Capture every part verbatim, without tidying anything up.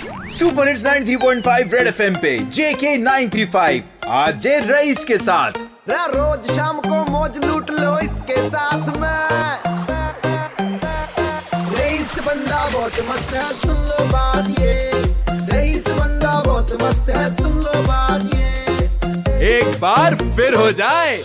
Super hits ninety three point five red FM पे JK nine three five, RJ Raees के साथ। रा रोज शाम को मौज लूट लो इसके साथ में। रईस बंदा बहुत मस्त है, सुन लो बात ये। रईस बंदा बहुत मस्त है, सुन लो बात ये। एक बार फिर हो जाए।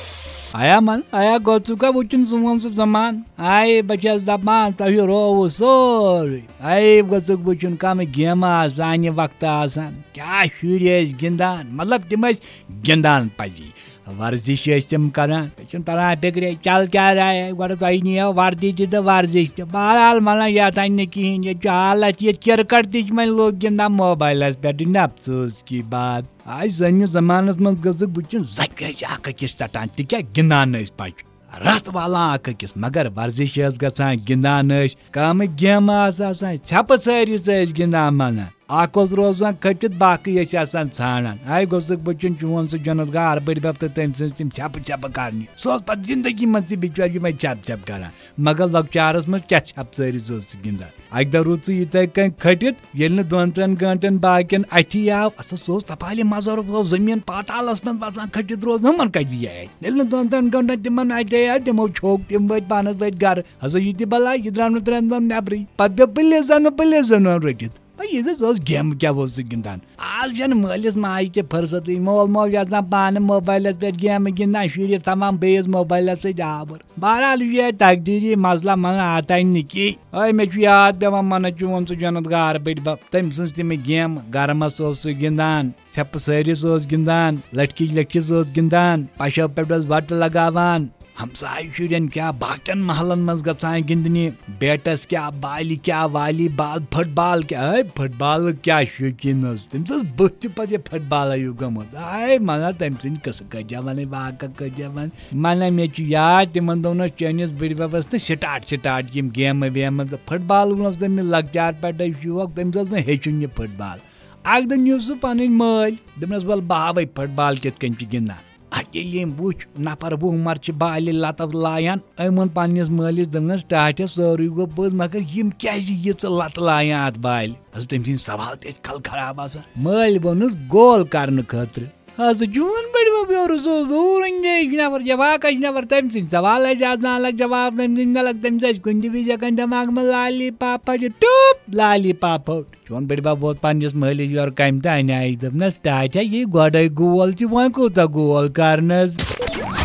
آیا من آیا گوٚژھُکھ وٕچھُن سون سُہ زمان؟ آیے بہٕ چھَس دَپان تۄہہِ رووُ سورُے۔ آیے گوٚژھُکھ وٕچھُن کَمہٕ گیمہٕ آسہٕ سانہِ وقتہٕ آسان، کیٛاہ شُرۍ ٲسۍ گِنٛدان، مطلب تِم ٲسۍ گِنٛدان پَزی۔ ورزش ٲسۍ تِم کران، مےٚ چھُنہٕ تران فِکرے چل کیٛاہ راے آیہِ۔ گۄڈٕ تۄہہِ نِیو وردی تہِ تہٕ ورزش تہِ۔ بہرحال مطلب یَتھ اَنہِ نہٕ کِہیٖنۍ، ییٚتہِ چھُ حالت یہِ کرکٹ تہِ چھِ وۄنۍ لوٗکھ گِنٛدان موبایلَس پٮ۪ٹھ، یہِ نہٕ افسوس کی بات۔ آز زَنہِ زمانَس منٛز گٔژھٕکھ وٕچھُن زَنہِ ٲسۍ اکھ أکِس ژَٹان، تہِ کیٛاہ گِنٛدان ٲسۍ پَچہِ۔ رَتھ والان اکھ أکِس، مگر ورزش ٲس گژھان، گِنٛدان ٲسۍ، کامہٕ گیمہٕ آسہٕ آسان، ژھٮ۪پہٕ سٲری سۭتۍ ٲسۍ گِنٛدان مَنان۔ اکھ اوس روزان کھٔٹِتھ، باقٕے ٲسۍ آسان ژھانڈان۔ آے گوٚژھُکھ بہٕ چھُن چون سُہ جنت گار بٔڈۍ بب تہٕ تٔمۍ سٕنٛز تِم ژھٮ۪پہٕ ژھٮ۪پہٕ کرنہِ۔ سُہ اوس پتہٕ زندگی منٛز تہِ بِچور یِمے ژھٮ۪پہٕ ژھٮ۪پہٕ کران۔ مگر لۄکچارس منٛز کیٛاہ ژھٮ۪پہٕ ژٲرِس اوس سُہ گِنٛدان؟ اکہِ دۄہ روٗد سُہ یِتھے کٔنۍ کھٔٹِتھ، ییٚلہِ نہٕ دۄن ترٛٮ۪ن گٲنٛٹن باقین اتھی آو، اَتھ سُہ اوس تپالہِ مزارُک، سُہ اوس زٔمیٖن پاتالس منٛز بسان کھٔٹِتھ روزُن، ہُمن کتہِ یی اتھِ؟ ییٚلہِ نہٕ دۄن ترٛٮ۪ن گٲنٛٹن تِمن اتھِ آے، تِمو چھوٚک، تِم وٲتۍ پانس وٲتۍ گرٕ۔ ہسا یہِ تہِ بلاے، یہِ درٛاو نہٕ ترٛٮ۪ن دۄہن نٮ۪برٕے۔ پتہٕ پیوٚو پُلیٖسن، پُلیٖسن اوٚن رٔٹِتھ۔ یہِ زِ ٲس گیمہٕ کیٛاہ اوس سُہ گِنٛدان۔ آز چھَنہٕ مٲلِس ماجہِ تہِ فرصتٕے۔ مول موج آسان پانہٕ موبایلَس پٮ۪ٹھ گیمہٕ گِنٛدان، شُرِس تھاوان بیٚیِس موبایلَس سۭتۍ آوُر۔ بہرحال، یہِ چھُ یہِ تقدیٖری مسلہٕ، مَنہٕ آتاے نہٕ کینٛہہ۔ أے، مےٚ چھُ یاد پٮ۪وان، مَنہٕ چون سُہ جنت گار بٔڈۍ بَب۔ تٔمۍ سٕنٛز تِمہٕ گیمہٕ، گرمَس اوس سُہ گِنٛدان، ژھٮ۪پہٕ سٲرِس اوس گِنٛدان، لٔٹھکِچ لٔٹھِس اوس گِنٛدان، پَشو پٮ۪ٹھ اوس وَٹہٕ لگاوان۔ ہمسایہِ شُرٮ۪ن کیٛاہ، باقین محلن منٛز گژھان گِنٛدنہِ، بیٹس کیٛاہ، بالہِ کیٛاہ، والی بال، فٹ بال کیٛاہ۔ ہے، فٹ بال کیٛاہ شوقیٖن اوس، تٔمِس ٲس بٔتھِ تہِ پتہٕ یہِ فٹ بال ہیوٗ گٔمٕژ۔ ہے، مگر تٔمۍ سٕنٛدۍ قٕصہٕ کٔرۍ زٮ۪و وَنٕنۍ، واقعہ کٔرۍ زٮ۪و وَنٕنۍ۔ مَنہ مےٚ چھُ یاد، تِمن دۄہن اوس چٲنِس بٕڈِ بَبس نہٕ سٹاٹ سٹاٹ یِم گیمہٕ ویمہٕ، تہٕ فٹ بال اوس تٔمِس لۄکچار پٮ۪ٹھے شوق، تٔمِس اوس وۄنۍ ہیٚچھُن یہِ فٹ بال۔ اکھ دۄہ نیوٗ سُہ پنٕنۍ مٲلۍ، دوٚپنس، "وَلہٕ بہٕ ہاوے فٹ بال کِتھ کٔنۍ چھِ گِنٛدان۔" اَتھ ییٚلہِ ییٚمۍ وُچھ، نفر وُہ مر چھِ بالہِ لتہٕ لایان، أمۍ ووٚن پننِس مٲلِس، دوٚپنس، "ٹاٹھس، سورُے گوٚو پوٚز، مگر یِم کیازِ ییٖژٕ لتہٕ لایان اتھ بالہِ؟" حضرت تٔمۍ سٕنٛدۍ سوال تہِ ٲسۍ کل خراب آسان۔ مٲلۍ ووٚنُس، "گول کرنہٕ خٲطرٕ۔" حضرت چون بٔڈِ بب یورٕ، سُہ اوس دوٗر انجٲیِش نفر، جواکش نفر، تٔمۍ سٕنٛدۍ سوال ٲسۍ آسان الگ، جواب تٔمۍ سٕنٛدۍ الگ، تٔمِس ٲسۍ کُنہِ تہِ وِزِ ہٮ۪کان دٮ۪ماغہٕ منٛز لالی پاپا چھِ ٹوپ، لالی پاپا۔ چون بٔڈِ بب ووت پننِس مٲلِس یورٕ کمہِ تہِ انیایہِ، دوٚپنس، "ٹاٹھا، یہِ گۄڈے گول تہِ، وۄنۍ کوٗتاہ گول کرنس؟"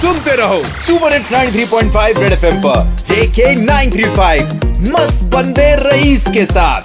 सुनते रहो super hits ninety three point five red FM पर जेके नाइन थ्री फ़ाइव, मस्त बंदे रईस के साथ।